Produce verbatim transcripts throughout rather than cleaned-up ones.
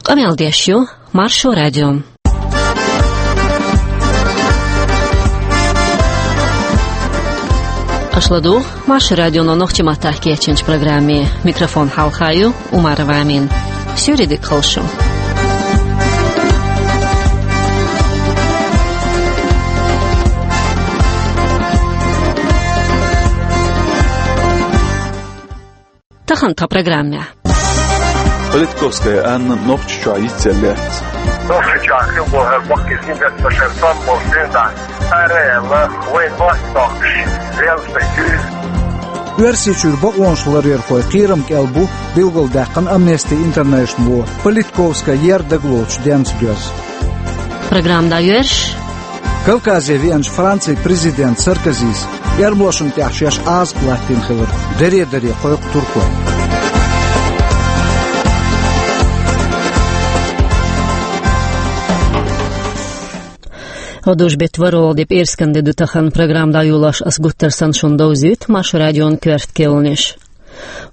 Къамел деш ю Маршо радио. Аша ладугӀу Маршо радионо нохчийн маттахь кечйинчу программе. Микрофон хьалха ю Умарова Амина. Суьйре дика хуьлда шун. Тахана тхан программехь. Политковская Анна Нохчийчохь йицъелла лаьцна. Нохчийчохь хилла боху баккхий зиндерца шайн сом болу сирна. Цара аьлла, вайн мостагӀчоьнна лелла сан куьйга. Оьрсийчуьра бакъонаш ларъярхойн кхерам кӀел бу билгалдаьккхина Amnesty International-о, Политковская ер дагалоцуш денца доьзна. Программа дӀайоьрзуш. Кавказе веанчу Францин президента Саркозис эрмалошна тӀехь шаьш Ӏазап латтийна хилар даре-даре кхойкху туркой. ГӀодужу беттан ворхӀалгӀа де, пӀераскан де ду тахана. Программа дӀайолош ас гуттар санна шуна довзуьйту Маршо радион коьрта кхаьънаш.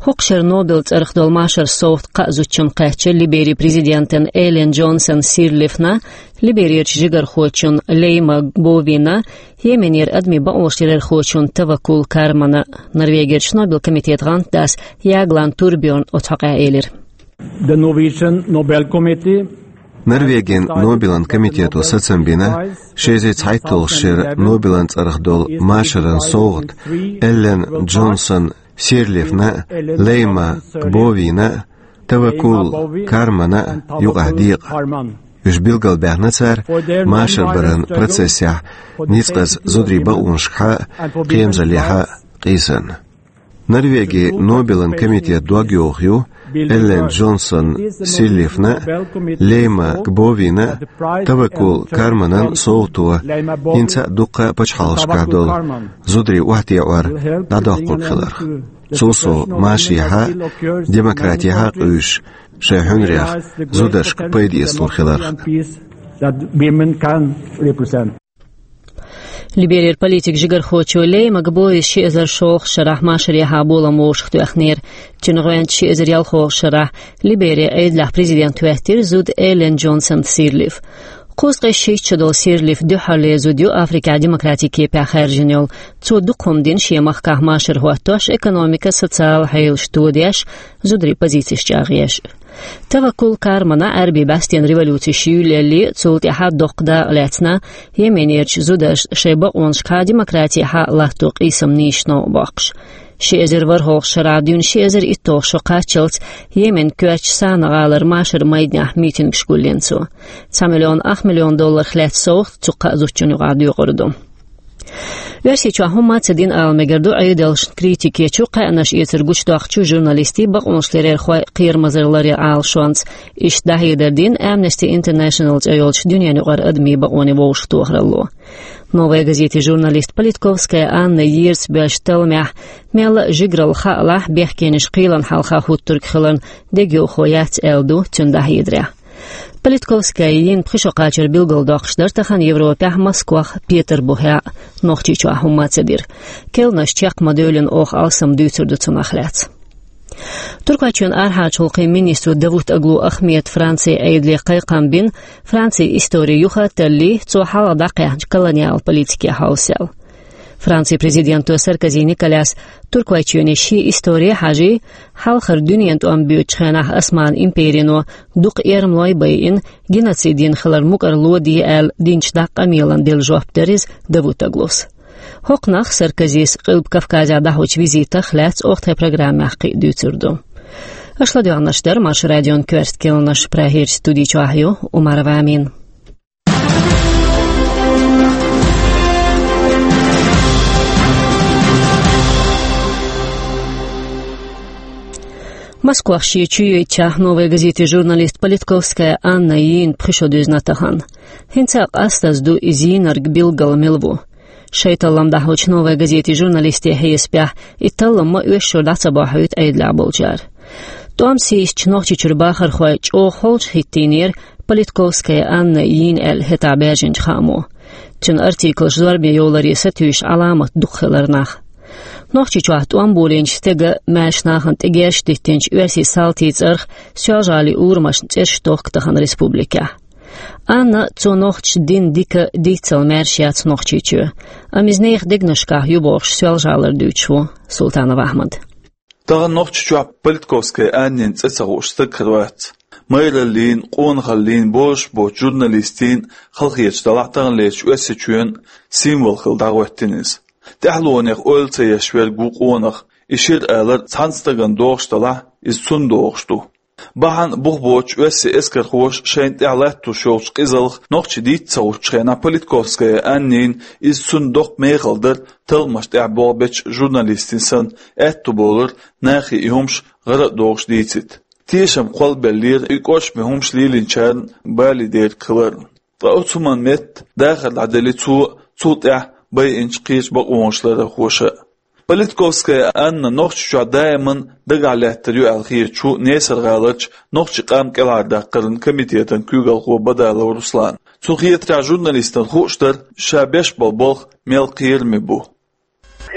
ХӀокху шеран Нобелан цӀарах долу машаран совгӀат кхаа зудчунна кхаьчна: Либерин президентана Эллен Джонсон Сирлифна, Либерерчу жигархочунна Лейма Гбовина, Йеменера адамийн бакъонаш ларъярхочунна Таваккул Кармана. Норвегерчу Нобелан комитетан гӀантдас Ягланд Турбьорна оцу хьокъехь элира. The Norwegian Nobel Committee. Норвегин Нобелан комитето сацам бина, ши эзар цхьайтталгӀачу шеран Нобелан цӀарах долу машаран совгӀат Эллен Джонсон Сирлифна, Лейма Гбовина, Таваккул Кармана юкъахь декъа. Уьш билгалбаьхна цара машар баран процессехь ницкъаза зударийн бакъонашкахьа, кхерамзаллехьа къийсарна. Норвегин Нобелан комитет дог йоху ю Эллен Джонсон Сирлифна, Лейма Гбовина, Таваккул Карманан совгӀато хӀинца а дуккха а пачхьалкхашкахь долу зударийн охьатаӀар дӀадоккхург хиларх. Цул сов машехьа, демократехьа къуьйсуш, шайн хьуьнарех зударшка пайда эцалур хиларх. Либерера политикан жигархочо Лейма Гбовис ши эзар шолгӀачу шарахь машарехьа болам вовшахтоьхнера. Цуьнан гӀоьнца ши эзар ялхолгӀачу шарахь Либерин Ӏедалехь президент хӀоьттира зуда Эллен Джонсон Сирлиф. Кхузткъе шийтта шо долу Сирлиф дуьххьарлера зуда ю Африкехь демократин кепехь хаьржина йолу. Цо дукха хӀума дина шен махкахь машар хӀоттош, экономика, социал хьелаш тодеш, зударийн позицеш чӀагӀъеш. Таваккул Кармана Ӏаьрбийн бӀаьстенан революцеш юьйлаелле, цул тӀаьхьа доккха дакъа лаьцна, Йеменерчу зударшна шайн бакъонашкахьа, демократехьа латто къийсам нийса новкъа боккхуш. Ши эзар ворхӀалгӀачу шарахь дуьйна ши эзар итталгӀа шо кхаччалц Йеменан коьртачу Сана гӀалара машаран майданехь митингаш гулйина цо. Цхьа миллион ах миллион долларх лаьцна совгӀат цу кхаа зудчунна юкъахь доькъур ду. Оьрсийчохь хӀумма а ца дина ала мегар ду Ӏедалшна критика ечу, кхаьънаш эцар гучудоккхучу журналистийн, бакъонаш ларъярхойн кхерамазалла ларъяран Ӏалашонца. Иштта дӀахьедар дина Amnesty International цӀе йолчу дуьненаюкъара адамийн бакъонийн вовшахтохаралло. «Новая газетин» журналист Политковская Анна ерзабоьллачу талламехь мелла а жигаралла хаалахь, бехкенаш кхелан хьалха хӀуттург хиларна дегайовхо яц аьлла ду цуьнан дӀахьедарехь. Политковская йина пхи шо кхачар билгалдоккхуш дара тахана Европехь, Москвахь, Петарбухехь а, Нохчийчохь хӀумма а ца дира. Кхаьънаш чекх ма-девллина, оха алсам дуьйцур ду цунах лаьцна. Туркойчоьнан арахьарчу гӀуллакхийн министро Давутоглу Ахмеда Францин Ӏедале кхайкхам бина, Францин истори юха а таллий, цо хьалха дӀакхаьхьначу колониал политике хьовсал. Францин президенто Саркози Николяс Туркойчоьне шен истори хьажий, хьалхара дуьненан тӀом боьдучу хенахь Осман империно дукха эрмалой байина, геноцид йина хилар мукӀарло де аьлла динчу дакъа къамелан делла жоп дара иза Давутоглус. ХӀокхунах Саркозис Къилба Кавказехь дӀахьочу визитах лаьцна оха тхайн программехь кхин а дуьйцур ду. Аша ладоьгӀнарш дара Маршо радион коьрта кхаьънаш, Прагерчу студи чохь ю Умарова Амина. Москвахь шен чуйойтучохь «Новая газетин» журналист Политковская Анна йийна пхи шо дуьзна тахана. ХӀинца а къастаза ду иза йийнарг билггал мила ву. Шайн таллам дӀахьочу «Новая газетин» журналистийн хьесапехь, и таллам ма оьшшура дӀа ца бохьуьйту Ӏедалехь болчара. ТӀом сийсачу Нохчийчуьра бахархой чӀогӀа холчу хӀиттийнера Политковская Анна йийна аьлла хӀетахь баьржинчу хаамо. Цуьнан артиклаш зорбане йовларе сатуьйсуш Ӏаламат дукха хилар нах. Нохчийчохь тӀом болийначу стеган, маьрша нахана тӀе герзаш диттинчу оьрсийн салтийн цӀарах Соьлжа-ГӀалин урамашна цӀераш дохку тахана республикехь. Анна цо нохчаша дина дика, диццал маьрша яц Нохчийчоь. Амма иза нехан дегнашкахь ю бохуш Соьлжа-ГӀалара дуьйцуш ву Султанов Ахьмад. Тахана Нохчийчохь Политковская Аннина цӀе ца хууш стаг хир вац. Майраллин, къонахаллин, бозуш боцу журналистийн, халахеташ делахь, таханлерчу Оьрсийчоьнан символ хилла дӀахӀоьттина иза. ТӀаьхьалонех ойла ца еш верг ву къонах. И шира алар цхьана стагана догӀуш делахь, иза цунна догӀуш ду. Бахьана бух боцуш оьрсийн эскархоша шайна тӀехь латтош йолчу къизаллах нохчий дийца ца гӀуттучу хенахь, Политковская Аннина иза цунна доккха мехала дара, талламаш тӀехь болх бечу журналистийн санна, аьтто болура нахе и хӀумаш гӀара а дохуш дийцийта. Тешам кхоллабеллера и кӀоршаме хӀумаш лелийначарна бале дерг хилар. Ткъа оцу хӀуманна метта дахар дӀаделира цо а, цул тӀаьхьа байинчу кхечу бакъонаш ларъярхоша а. Политковская Анна Нохчийчохь даиман дагахь лаьттар ю аьлла хеташ ву Несар-гӀаларчу нохчийн къам кӀелхьардаккхаран комитетан куьйгалхо Бадалов Руслан. Цунна хетарехь, журналистана хууш дара, ша беш болу болх мел кхераме бу.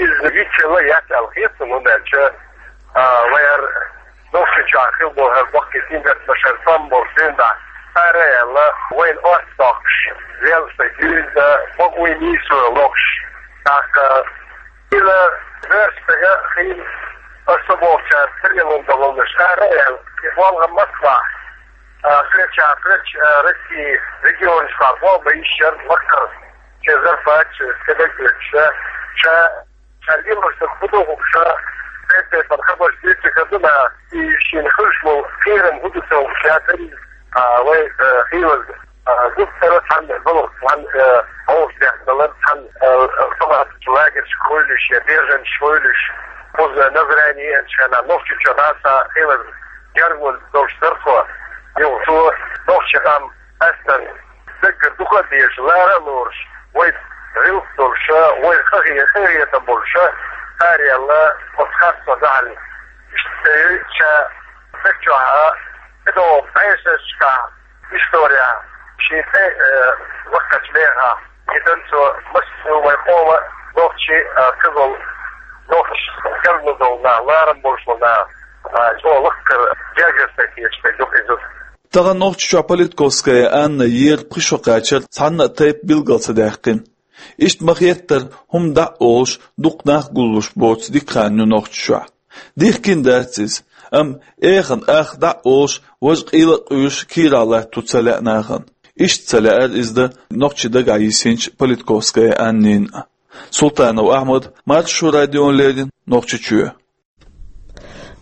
Иза вицвелла яц аьлла хета суна, хӀунда аьлча, а, вайн хӀара Нохчийчохь хилла болу хӀара баккхий сингаттамаш, хӀара тӀом болуш дуьйна дӀа, ара а аьлла, вайна орца доккхуш, велла стаг дуьйна, бакъо нийсо лохуш, тӀаккха, иза вуьрхӀитта стага хилла, аса бохучара ца лело долуш, ара а аьлла, и болх Москвахь, а, кхечу, кхечу, а, Россин регионашкахь болх бан йиш яра, лакхара шен зарплаташ, стеган куьйгаш, ша, ша лелош дерг хӀун ду хууш, ша, тайп-тайпана хабарш дуьйцуш хир ду наха, и шена хуьлуш болу кхерам хӀун ду ца хууш, ша, а, вай, а, хилаза. А, зудчуьра цхьаьна балхах, цхьаьна, э, хьовсадехна далар, цхьаьна, э, э, салатачу лагерьшка хуьлуш я бежанаш хуьлуш, кхуза Назрани еанчу хенахь Нохчийчохь дӀа а ца хилар, гергарло долуш дара тхо. Юха цо нохчийн къам астан даггара дукха а дезаш, лара а лоруш, вай гӀиллакх долуша, вай къахе-, къахетам болуша, араяьлла, оцу харцо дахьалла. Иштта ша стаг чохь а, тӀедогӀу бӀешерашкахь, история, шен тӀе, э, ваккхачу мехахь, и дан цо массо вай къоман нохчий, а, ца волу, нохчий керло долу нах, ларам болуш болу нах, а, чӀогӀа лакхара гергара стаг хеташ дерг ду иза. Тахана Нохчийчохь Политковская Анна ер пхи шо кхачар цхьанна а тайпа билгал ца даьккхина. Иштта ма-хеттара, хӀума дӀа а олуш, дукха нах гуллуш боцу дика хан ю Нохчийчохь. Дихкина дац иза, амма эхана ах дӀа а олуш, важа къийла а къуьйсуш, кийрахь латто ца лаьа нахана. Иштта ца лаьара иза дан нохчий дагахь йисинчу Политковская Аннина. Султанов Ахьмад, Маршо радиона леррина, Нохчийчоь.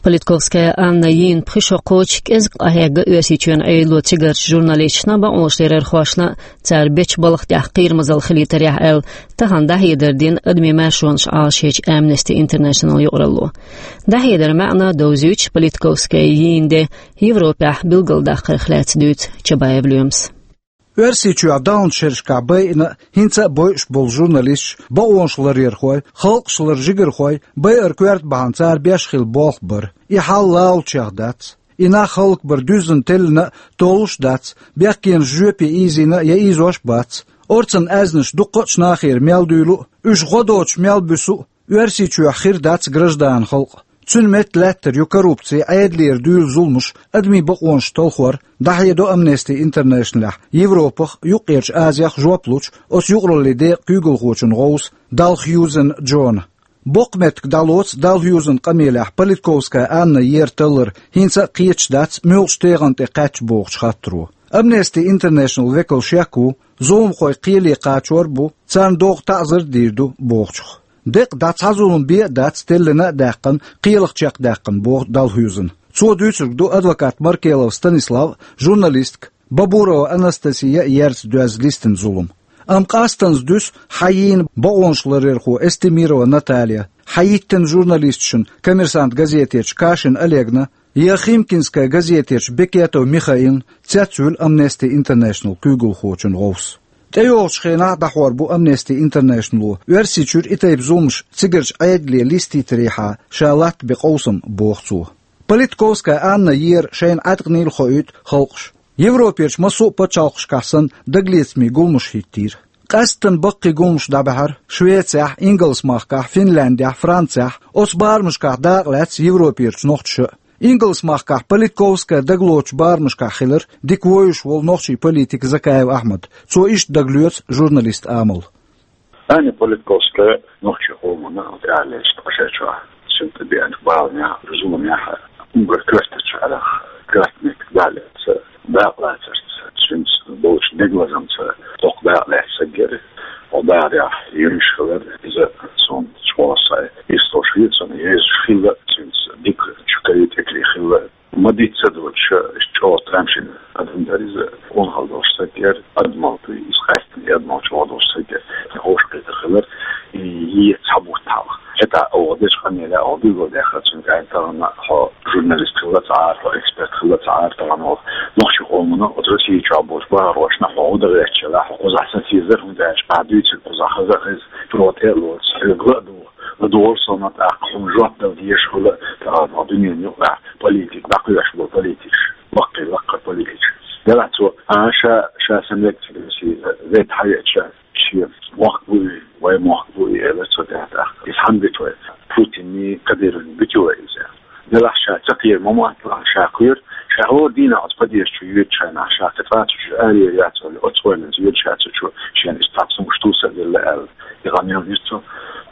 Политковская Анна йийна пхи шо кхочу кӀезиг къахьегна Оьрсийчоьнан Ӏедало цигарчу журналисташна, бакъонашларъярхошна а, цара бечу балха тӀехь кхерамазалла хилийтарехь аьлла, тахана дӀахьедар дина адамийн маршонаш Ӏалашъечу Amnesty International юкъаралло. ДӀахьедаран маьӀна довзуьйтуш, Политковская йийна де Европехь билгалдаккхарх лаьцна дуьйцу Чабаев Лоьмас. Оьрсийчоьнан даханчу шерашкахь байина а, хӀинца а бойуш болу журналисташ, бакъонаш ларъярхой, халкъаш ларъяран жигархой, байар коьрта бахьана цара беш хилла болх бар. И хьал лалучех дац. И нах хӀаллакбар дуьззина теллина а, толлуш а дац, бехкенаш жоьпе ийзийна а, я ийзош а бац. Орцан аьзнаш дуккха а нахера мел дуьйлу а, уьш гӀо доцуш мел буьсу а, Оьрсийчохь хир дац граждан халкъ. Цуьнан метта лаьттар ю коррупци, Ӏедалера дуьйла зуламаш, адамийн бакъонаш талхор, дӀахьедо Amnesty International-ехь Европах а, Юккъерчу Азех а жоп лучу оцу юкъараллин декъан куьйгалхочун гӀовса Далхьюзен Джона. Боккха меттиг дӀалоцу Далхьюзен къамелехь Политковская Анна ер таллар хӀинца а кхеташ дац муьлхачу тегӀан тӀе кхаьчча бохучу хаттаро. Amnesty International векал шек ву, зуламхой кхеле кхачор а бу, царна догӀу таӀзар а дийр ду бохучух. Декъа дӀа цхьа зулам бен а дац теллина а даьккхина, кхелах чекхдаьккхина, боху Далхьюзена. Цо дуьйцург ду адвокат Маркелов Станислав а, журналистка Бабурова Анастасия а ерца доьзна листина зулам. Амма къастанца дуьсу хьан йийна бакъонаш ларъярхо Эстемирова Наталья, хьан йиттина журналисташна Коммерсант газетерчу Кашин Олегна, я Химкинская газетерчу Бекетов Михаилна цецвуьлу Amnesty International куьйгалхочун гӀовс. ТӀейогӀучу хенахь а дӀахьор бу Amnesty International-о Оьрсийчуьра и тайпа зуламаш цигарчу Ӏедале листийтарехьа ша латта бен къовсам, боху цо. Политковская Анна ер шайна Ӏаткъанийла хоуьйту халкъаш. Европерчу массо а пачхьалкхашкахь санна дагалецамийн гуламаш хӀиттийра. Къаьсттина баккхий гуламаш дӀабаьхьар Швецехь, Ингалс-махкахь, Финляндехь, Францехь, оцу барамашкахь дакъа лаьцна Европерчу нохчаша. Ингалс-махкахь политиковская дагалоцучу барамашкахь хилира дика вевзаш волу нохчийн политик Закаев Ахьмад. Цо иштта дагалоьцу журналистан амал. Таня Политковская нохчийн къомана тӀаьхьалечу тӀаьхьарчохь, цуьнан тӀе беана баланехь, зуламехь, уггар коьртачу арахь, коьртаниг даллица, дакъа лацарца, цуьнца болчу дегалазамца доккха дакъа лаьцна стаг яра. Оха дахарехь йоьнуш хилар иза, суна чӀогӀа сайн йистхуьлуш хилла, цунна йоьзуш хилла, цуьнца дика чу кхетам хилла. Ма дийца доцуш, чӀогӀа тамашийна адам дара иза, къонахалла долуш стаг яра, адамалла дуй, иза къаьсттина адамалла чӀогӀа долуш стаг яра. Сан ховшахкхетар хилар, и е цхьа бутт хьалха. ХӀетахь оха дечу къамелехь оха билгалдаьккхира цуьнга, аьлла, тахана хьо журналист хилла ца Ӏара, хьо эксперт хилла ца Ӏара, тахана оха нохчийн къомана оцу Россия чохь болчу бахархошна хьо гӀо дан гӀерташ елахь, хьо кхузахь сацийзар, хӀунда аьлча ахь дуьйцург кхузахь хаза а хеза, чӀогӀа тӀе а лоцу, хьоьга ла а догӀу. ЛадогӀал со, амма тӀаккха хьуна жоп дала дезаш хуьлу, тахана хьо дуьненан юкъахь политика дӀакхоьхьуш болу политикаш, баккхий лаккхара политикаш. Делахь цо, а, ша, ша сан лекци дийцира, вай тхьаьвеача, шен мохк бу и, вай мохк бу и, элира цо тӀаьхьа-тӀаьхьа. Иза хьанна биту вай? Путинний, Кадыровний биту вай иза? Делахь ша ца кхера ма мотталахь, ша кхоьру, ша хӀора дийнахь оцу подъезда чу йоьдучу хенахь, ша кхин цкъа а цу чуьра аре яц вале, оцу ойланца йоьду ша цу чу, шена иштта цхьа хӀумнаш тувсар делла аьлла. И къамел дира цо.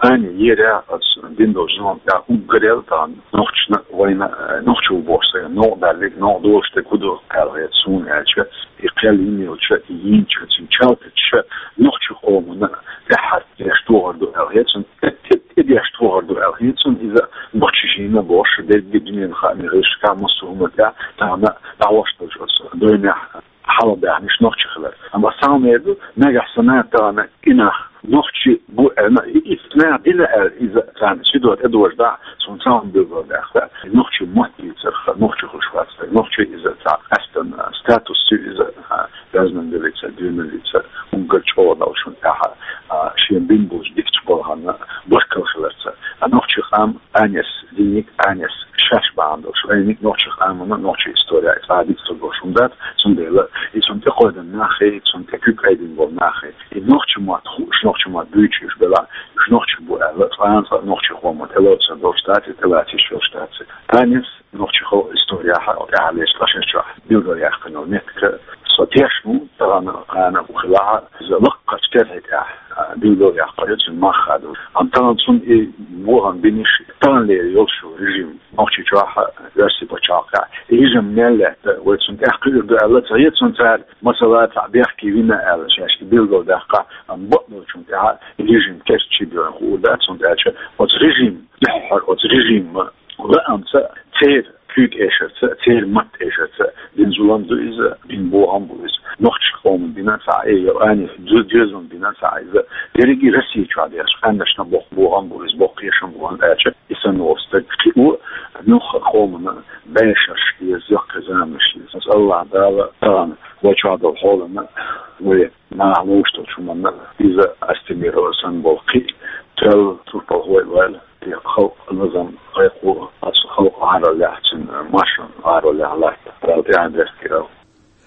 Ани, ера оцу дина долчу зулам тӀехь уггар ял тахана нохчашна, вайна, э, нохчо бохуш стаг, новкъа баьллиг, новкъа долуш стаг хӀун ду аьлла хета суна аьлча, и кхел йина йолча, и йинча, цуьнан чалтача нохчийн къомана тӀаьххьара деш тохар ду аьлла хета суна, тӀе, тӀе, тӀе деш тохар ду аьлла хета суна, иза нохчаша йина бохуш, дерриге дуьненан хаамийн гӀирсашкахь, массо а хӀуманна тӀехь тахана дӀахьош долчу оцу дойнехь хьалха даьхнаш нохчий хилар. Амма схьа ма-, эр ду, нагахь санна тахана и нах нохчий бу аьлла, и, и нах дина аьлла, иза царна ши дог тӀедожадахь, суна цхьа хӀума билгалдаьккхира, нохчийн мотт дийцарх, нохчи хуьлуш вац стаг, нохчи иза цхьа къаьсттина статус ю иза, а, разнабериться, двенабериться, уггар чӀогӀа долуш шуна тӀехь, а, шен бина болчу дикачу балхана баркалла хиларца. А нохчийн къам Анес, диниг Анес, шаьш бахьана долуш, вайниг нохчийн къамана, нохчийн история, цкъа а дика ца долуш хӀума дац, цундела и цунна тӀекхойдина нах а, и цунна тӀе куьг айдина болу нах а, и нохчийн мотт хууш, нохчийн мотт буьйцуш уьш белахь, уьш нохчий бу аьлла, цкъа а нохчийн къоман тӀелоцур долуш дац, и тӀелаца йиш йолуш дац. Анес нохчийн халкъан историяхь тӀаьхьалечу тӀаьххьарчохь билгалъяьккхина йолу меттиг, со тешна ву, тахана кхана а хилахь, иза лаккхарчу терхи тӀехь, а, билгалъяьккхина ю цуьнан мах а ду. Амма тахана цунна и бохам бинарш, таханлера йолуш йолу режим, Нохчийчохь а, Оьрсийн пачхьалкхехь, и режим мел лаьтта, вай цунна тӀекхуьур ду аьлла ца хета суна цара, масала, цхьаъ бехке вина аьлла, шаьш и билгалдаьккхина, амма бакъдолчунна тӀехь и режим керчи бен хуур дац, цунна тӀаьхьа оцу режим дуьххьара, оцу режиман лаамца, церан куьйга эшарца, церан матта эшарца дина зулам ду иза, дина бохам бу иза. Нохчийн къоман дина ца Ӏе, я Анес ду-, доьзална дина ца Ӏе иза. Дерриге Россия чохь дерш къаьмнашна боккха бохам бу иза, боккха кхешам бу, хӀунда аьлча и санна волу стаг кхин а юха къомана бӀешераш еза, яккхий заманаш еза. Аса Аллахь Дала тахана вай чохь долу хьолана, вай наха ловш долчу хӀуманна иза Астемирова санна болу кхин а тоьлла турпалхой а ваьлла, и халкъан лазам, кхайкхо, оцу халкъан гӀаролехь, цуьнан машан гӀаролехь латта, Дала тӀаьхьа дерг хир ала.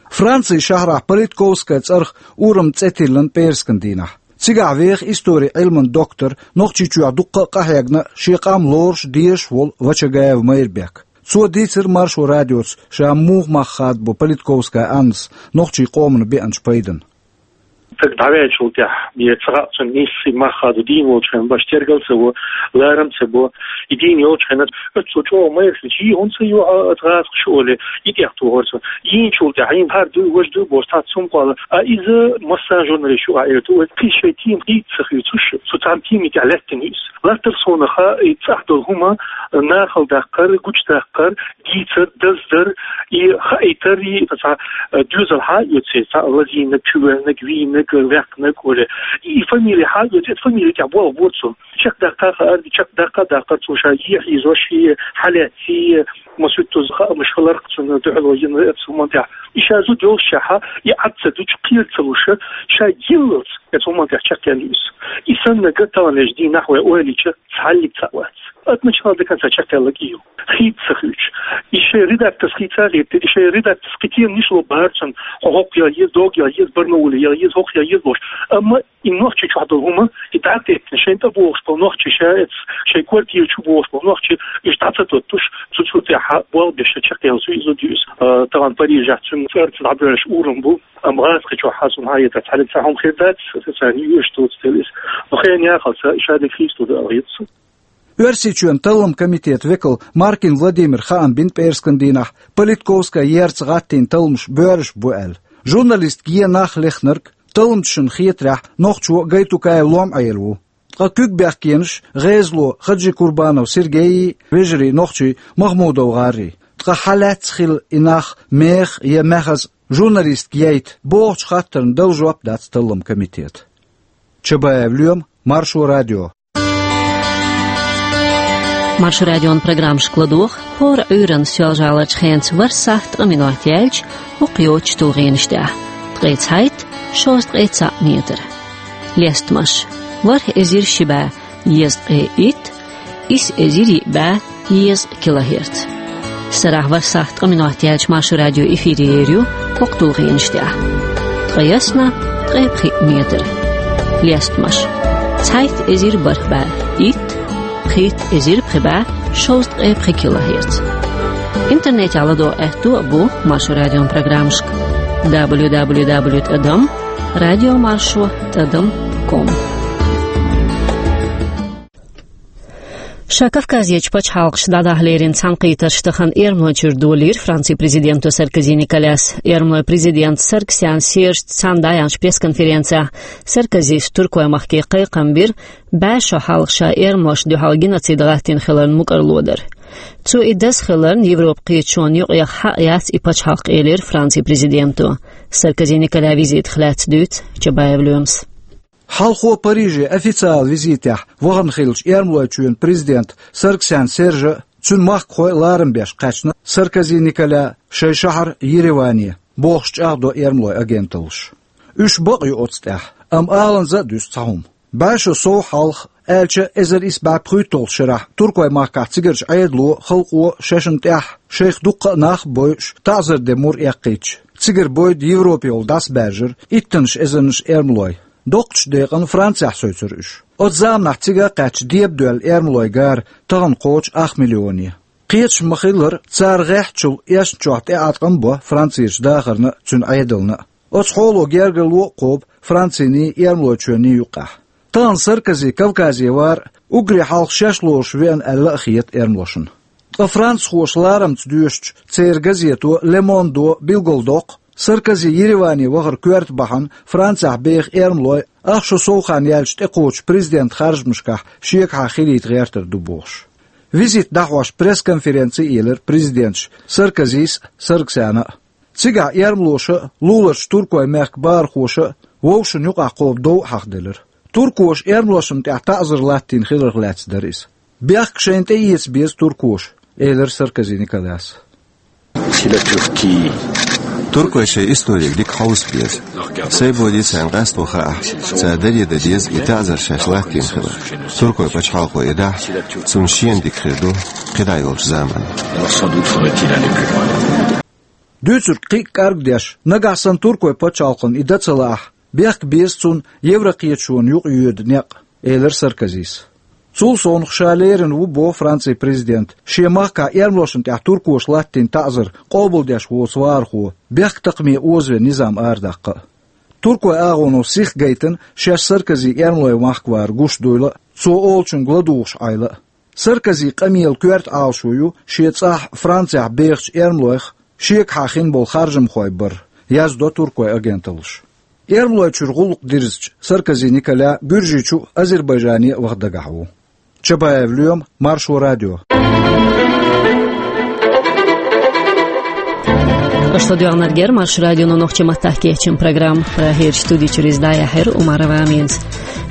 Францин шахьарахь Политковская цӀарах урам цӀе тиллина пӀераскан дийнахь. Цигахь веха историн Ӏилман доктор, Нохчийчохь дуккха а къахьегна, шен къам лоруш, дезаш волу Вачагаев Майрбек. Цо дийцира Маршо радиоца ша муха мах хадабо Политковская Аннас нохчийн къомана беанчу пайдана. Стаг дӀаваьллачул тӀаьхьа, бен ца хаьа цунна нийса мах хадо дийна волчу хенахь, баш тергал ца во, ларам ца бо. И дийна йолчу хенахь, оццул чӀогӀа майралла, хӀинца ю хьо оцу гӀазакхаша олий, и тӀех тухара цо. Йийначул тӀаьхьа, хӀара дуй, важа дуй бохуш, цхьацца хӀума кхолла. А иза массарна журналисташка ю, аьлла, вай кхин шайн тема хӀинца ца хуьйцуш, цу цхьана темин тӀехь лаьттина ю иза. Латтар суна хаьа, и цӀахь долу хӀума нахала даккхар, гучудаккхар, дийцар, даздар, и хаийтар, и цхьа, э, доьзалхьа а оьцу, цхьа лазийнарг, чувоьллинарг, вийнарг, ваьккхинарг олий. И фамилехьа а оьцу, и фамили тӀехь болх бора цо. Чекхдаккха а хаьара, чекхдаккха а даккхара цо, ша е хьийзош, е хьалаьцций, масийттаза хаамаш хиларх цунна дуьхьало йина оцу хӀуманна тӀехь. И ша зуда йолушшехьа, и Ӏад ца дуьтуш, кхера ца луш, ша йиллалц оцу хӀуманна тӀехь чекхъяьлла ю иза. И саннарг таханлерчу дийнахь вай ойла йича, цхьаллиг цхьаъ вац. От начала до конца чакхъяьлларг и ю. Хийца ца хуьйцуш. И шайн редакторс хийца а хетта, и шайн редакторс кхетийна ниш ло барцан, хьо хӀокху яла еза, дог яла еза, Барнауле яла еза, хӀокху яла еза бохуш. Амма и нохчи чохь долу хӀума, и дӀатеттина, шайн тӀе бохуш болу нохчи, ша эцу, шайн квартира чу бохуш болу нохчи, уьш дӀа ца тоттуш, цу, цу тӀехь болх беш чакхъяьлла суьйзу дуьйцу. А, тахана Парижехь цуьнан цӀарца дӀабоьллуш урам бу, амма гӀазкхи чохь хьан сум хьан еза цхьаьна цхьа хӀума хир дац, аса царна юьш тоцу тела иза. Но хен яхалца, ша дика хийца ду ала хета сан. Оьрсийчоьнан таллам комитетан векал Маркин Владимир хаам бина пӀераскан дийнахь, политиковская ярца гӀаттийна талламаш боьрзуш бу аьлла. Журналистка е нах лехнарг, талламчашна хетарехь, нохчо Гайтукаев Лом-Ӏела ву. Ткъа куьг бехкенаш гӀезало Хаджи Курбанов Сергейи, вежарий нохчий Махмудов ГӀаррий. Ткъа хьан лаьцна хилла и нах меха я маьхаза журналистка яйта бохучу хаттарна дала жоп дац таллам комитета. Чабаев Лоьма, Маршо радио. Маршо радион программашка ладогӀа хӀора Ӏуьйранна соьлжа-гӀаларчу хенца ворхӀ сахьт ткъа минот яьлча, хӀокху йоцучу тулгӀенаш тӀехь: ткъе цхьайтта, шовзткъе цхьаъ метр. Лестамаш: ворхӀ эзар ши бӀе езткъе итт, исс эзар йиъ бӀе езткъа килогерц. Сарахь ворхӀ сахьт ткъа минот яьлча Маршо радио эфире ер ю хӀокху тулгӀенаш тӀехь: ткъе ялх, ткъе пхиъ метр. Лестамаш: цхьайтта эзар бархӀ бӀе итт, пхийтта эзар пхи бӀе шовзткъе пхи килогерц. Интернетехь ладогӀа аьтто а бу Маршо радион программашка: дабл ю дабл ю дабл ю тӀадам радио маршо тӀадам ком. Ша Кавказерчу пачхьалкхашка дӀадахьа лерина цхьаьнакхетарш тахана эрмалойн чуьра долийра Францин президенто Саркози Николяс. Эрмалойн президента Сарксян Сержца цхьаьна дӀаяьхьначу пресс-конференцехь Саркозис Туркойн махке кхайкхам бира, бӀе шо хьалха ша эрмалошна дуьхьал геноцид гӀаттийна хиларна мукӀарло дар. Цо и даза хиларна Европан кхеташонна юкъахь хьакъ яц и пачхьалкх, элира Францин президенто. Саркози Николян визитах лаьцна дуьйцу Чабаев Лоьмас. Хьалхо Париже официалан визитехь вахана хиллачу Эрмалойчоьнан президента Сарксян Сержа а, цуьнан махкахой а ларам беш кхаьчна Саркози Николя шайн шахьар Ереване, бохуш чӀагӀдо эрмалойн агенталлаша. Уьш бакъ ю оцу тӀехь, амма аланза а дуьсу цхьа хӀума. БӀе шо сов хьалха, аьлча, эзар исс бӀе пхийтталгӀачу шарахь туркойн махкахь цигарчу Ӏедало, халкъо шайшинна тӀехь, шайх дуккха а нах а бойуш, таӀзар де мур эккхийтича, цигара бойда Европе йолу дӀасабаьржира иттаннаш эзарнаш эрмалой. Доккхачу декъана Францехь севцира уьш. Оцу заманахь цига а кхаьчча, дебадоьлла эрмалойн гара тахана кхочу ах миллионе. Кхеташ ма-хиллара, цара гӀеххьачул эшначохь тӀеӀаткъам а бо Францерчу дахарна а, цуьнан Ӏедална а. Оцу хьоло гергарло а кхобу Франциний, Эрмалойчоьнний юккъехь. Тахана Саркози Кавказе вар а, уггаре хьалха шаьш лоруш веана аьлла а хета эрмалошна. Ткъа францхоша ларамца доьшучу церан газето Le Monde-о билгалдоккху, Саркози Ереване вахар коьрта бахьана Францехь беха эрмалой ах шо сов хан яьлча тӀекхочучу президентан харжамашкахь шегахьа хилийта гӀертар ду бохуш. Визит дӀахьош пресс-конференци а елира президенташа Саркозис а, Сарксяна а. Цигахь эрмалоша а, луларчу туркойн мехкан бахархоша а вовшашна юкъахь кхобу дов а хьахделира. Туркоша эрмалошна тӀехь таӀзар латтийна хиларх лаьцна дара иза. Бехк шайна тӀеэца беза туркоша, элира Саркози Николяс. Туркой шайн историг дика хьовса беза. Сайн боди царна къасто хаахь, цара даре дан деза и таӀзар шаьш латтийна хилар. Туркойн пачхьалкхо и дахь, цунна шена дика хир ду кхидӀа йолчу заманна. Дуьйцург кхин а кӀаргдеш, нагахь санна туркойн пачхьалкхана и дан ца лаахь, бехк беза цунна Еврокхеташонна юкъайоьду некъ, элира Саркозис. Цул совнаха ша лерина ву боху Францин президента шен махкахь эрмалошна тӀехь туркоша латтийна таӀзар къобалдеш воцу вахархо бехктакхаме озавен низам арадаккха а. Туркойн агӀоно сих гайтина шаьш Саркози эрмалойн махка вар гуш дуйла а, цо олучуьнга ладугӀуш Ӏайла а. Саркозин къамелан коьрта Ӏалашо ю шен цӀахь Францехь бехачу эрмалойх шегахьа хин болу харжамхой бар, яздо туркойн агенталлаша. Эрмалойчуьра гӀуллакх дирзича, Саркози Николя Гуьржийчу а, Азербайджане а ваха дагахь ву. Чабаев Лоьма, Маршо радио. Аша ладоьгӀнарг яра Маршо радион нохчийн маттахь кечйина программа. Прагерчу студи чуьра иза дӀаяьхьира Умарова Аминас.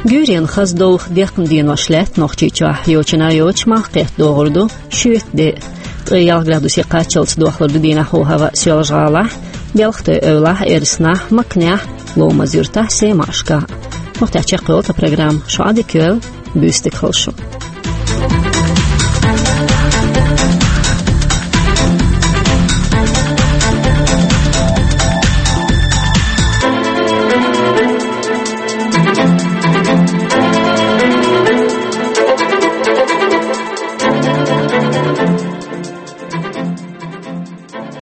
Гуьйренна хаза довха, декхна денош лаьтта Нохчийчохь, йочана а йоцуш, малх кхетта догӀур ду шоьтан де. Ткъе ялх градусе кхаччалц дохлур ду дийнахь хӀаваъ Соьлжа-ГӀалахь, Белхатуй-Эвлахь, Эрснахь, Макнехь, Ломаз-Юьртахь, Семашкахь. Муьлхха а чекхйолу тхан программа. Шу Ӏадика йойла, буьйса дика хуьлда шун.